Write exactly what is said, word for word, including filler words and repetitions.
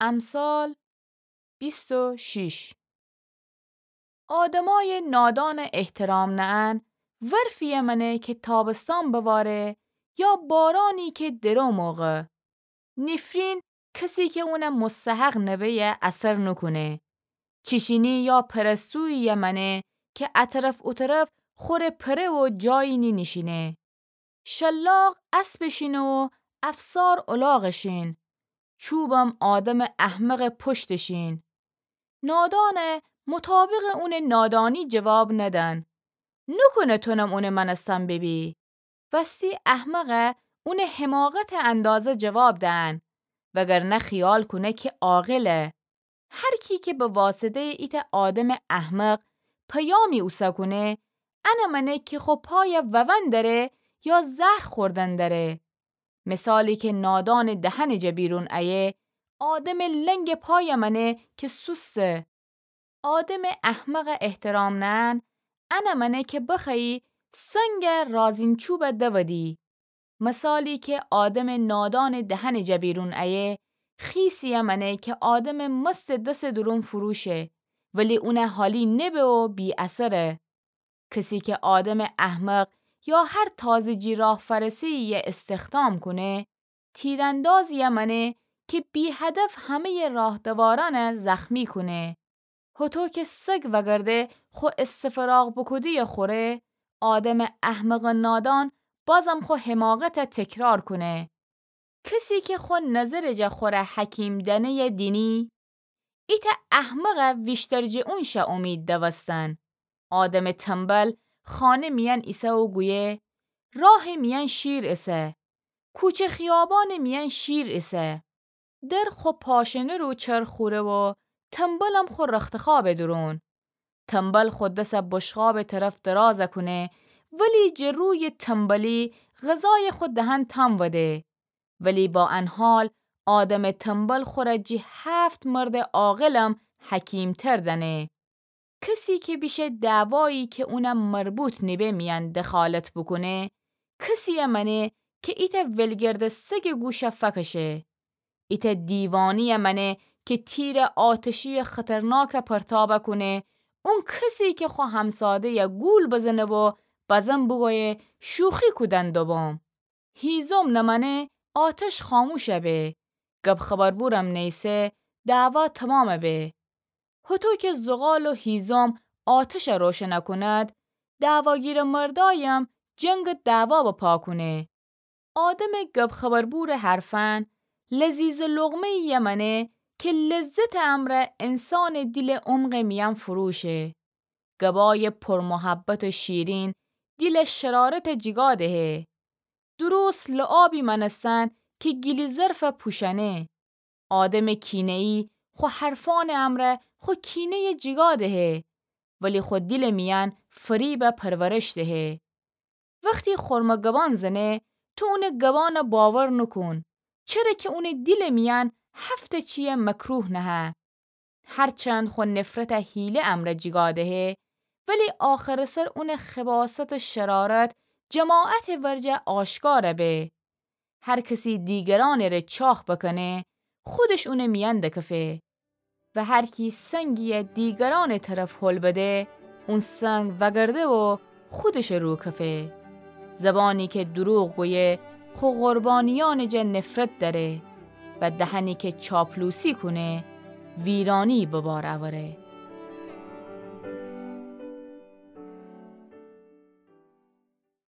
امثال بیست و شش. آدمای نادان احترام نأن ورفیه مأنه که تابستان بواره یا بارانی که درو موقع. نفرین کسی که اونه مستحق نبه‌یه اثر نوکونه. چیچینی یا پرستوییه مأنه که اطرف اوطرف خوره پره و جایی نینیشینه. شلاق اسبٚ شین و افسار الاغٚ شین. چوبم آدمٚ احمقٚ پشتٚ شین. نادانه مطابقٚ اونٚ نادانی جواب ندن. نوکونه تونم اونٚ مأنستن ببی. وستی احمقه اونٚ حماقتٚ اندازه جواب دئن، وگرنه خیال کونه که عاقله. هر کی که به واسطه‌یٚ ایتأ آدمٚ احمق پیامی اوسه کونه، انه مأنه که خو پایه وون دره یا زهر خوردن دره. مثالی که نادانٚ دهنٚ جا بیرون ایه، آدمٚ لنگٚ پایه مأنه که سوسته. آدمٚ احمقه احترام نأن، انه مأنه که بخوأیی سنگه رازین‌چوبه دودی. مثالی که آدمٚ نادانٚ دهنٚ جا بیرون ایه، خیسیه مأنه که آدمٚ مستٚ دسٚ دورون فروشه، ولی اونه حالی نبه و بی‌اثره. کسی که آدمٚ احمق یا هر تازه جی راه فرسه‌ییه استخدام کونه، تیراندازیه مأنه که بی‌هدف همه‌یٚ راه‌دوارأنه زخمی کونه. هوطو که سگ وگرده خو استفراغ بوکوده‌یه خوره، آدمٚ احمقٚ نادان بازم خو حماقته تکرار کونه. کسی که خو نظرٚ جا خوره حکیم دأنه‌یه دینی، ایتأ احمقه ویشتر جٚه اون شه اومید دوستن. آدمٚ تنبل خانه میأن ایسه و گویه، راهٚ میأن شیر ایسه، کوچه خیابانٚ میأن شیر ایسه. در خو پاشنه رو چرخ خوره و تنبلم خو رختخوابٚ دورون. تنبل خو دسه بشقابٚ طرف درازه کونه، ولی جٚه رویٚ تنبلی غذایه خو دهن تام وده. ولی با ان حال آدمٚ تنبل خوره جٚه هفت مردٚ عاقلم حکیم‌تر دأنه. کسی که بیشه دعوایی که اونه مربوط نیبه میأن دخالت بوکونه، کسیه مأنه که ایتأ ولگرد سگٚ گوشه فکشه. ایتأ دیوانه‌یه مأنه که تیرٚ آتشیٚ خطرناکه پرتابه کونه، اون کسی که خو همساده‌یه گول بزنه و بزن بوگویه شوخی کودن دوبوم. هیزم نمأنه آتش خاموشه به، گب خبربورم نیسه دعوا تمامه به. هوطو که زغال و هیزم آتشه روشنه کند، دعواگیرٚ مردایم جنگ دعوا بپا کونه. آدمٚ گب خبربورٚ حرفأن لذیذٚ لقمه‌ییه مأنه که لذتٚ امرأ انسانٚ دیلٚ عمقٚ میأن فروشه. گبایٚ پرمحبت و شیرین دیلٚ شرارته جیگا دهه. درست لعابی مأنستن که گیلی ظرفه پوشأنه. آدمٚ کینه‌یی خو حرفأنٚ امرأ خو کینه‌یه جیگا دهه، ولی خو دیلٚ میأن فریبه پرورش دهه. وختی خرمه گبان زنه، تو اونٚ گبانه باور نوکون، چره که اونٚ دیلٚ میأن هفتٚ چیه مکروه نهه. هرچند خو نفرته حیله امرأ جیگا دهه، ولی آخرٚ سر اونٚ خباثت و شرارت جماعتٚ ورجه آشکاره به. هر کسی دیگرأنٚ ره چاخ بکنه، خودش اونٚ میأن دکفه. و هر کی سنگیه دیگرأنٚ طرف هل بده، اون سنگ وگرده و خودشٚ رو کفه. زبانی که دروغ گویه، خو قربانیأنٚ جا نفرت دأره و دهنی که چاپلوسی کونه، ویرانی به بار اوره.